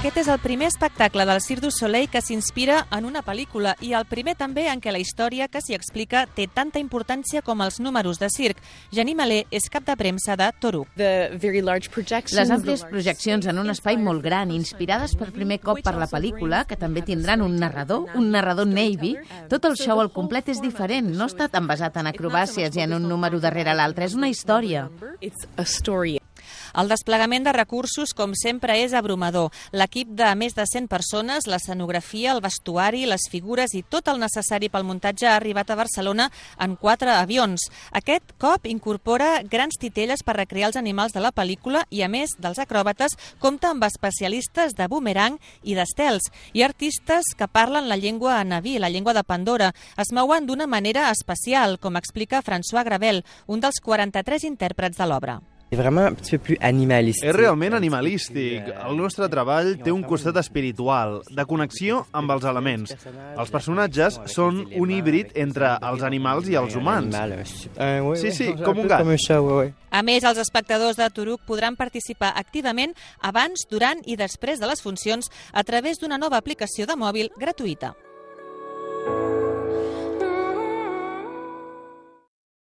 Aquest és el primer espectacle del Cirque du Soleil que s'inspira en una pel·lícula i el primer també en què la història que s'hi explica té tanta importància com els números de circ. Jenny Malé és cap de premsa de Toruk. Les àmplies projeccions en un espai molt gran, inspirades per primer cop per la pel·lícula, que també tindran un narrador Navy. Tot el show al complet és diferent, no està tan basat en acrobàcies i en un número darrere l'altre, és una història. El desplegament de recursos, com sempre, és abrumador. L'equip de més de 100 persones, l'escenografia, el vestuari, les figures i tot el necessari pel muntatge ha arribat a Barcelona en 4 avions. Aquest cop incorpora grans titelles per recrear els animals de la pel·lícula i, a més dels acròbates, compta amb especialistes de boomerang i d'estels i artistes que parlen la llengua naví, la llengua de Pandora. Es mouen d'una manera especial, com explica François Gravel, un dels 43 intèrprets de l'obra. És realment animalístic. El nostre treball té un costat espiritual, de connexió amb els elements. Els personatges són un híbrid entre els animals i els humans. Sí, com un gat. A més, els espectadors de Toruk podran participar activament abans, durant i després de les funcions a través d'una nova aplicació de mòbil gratuïta.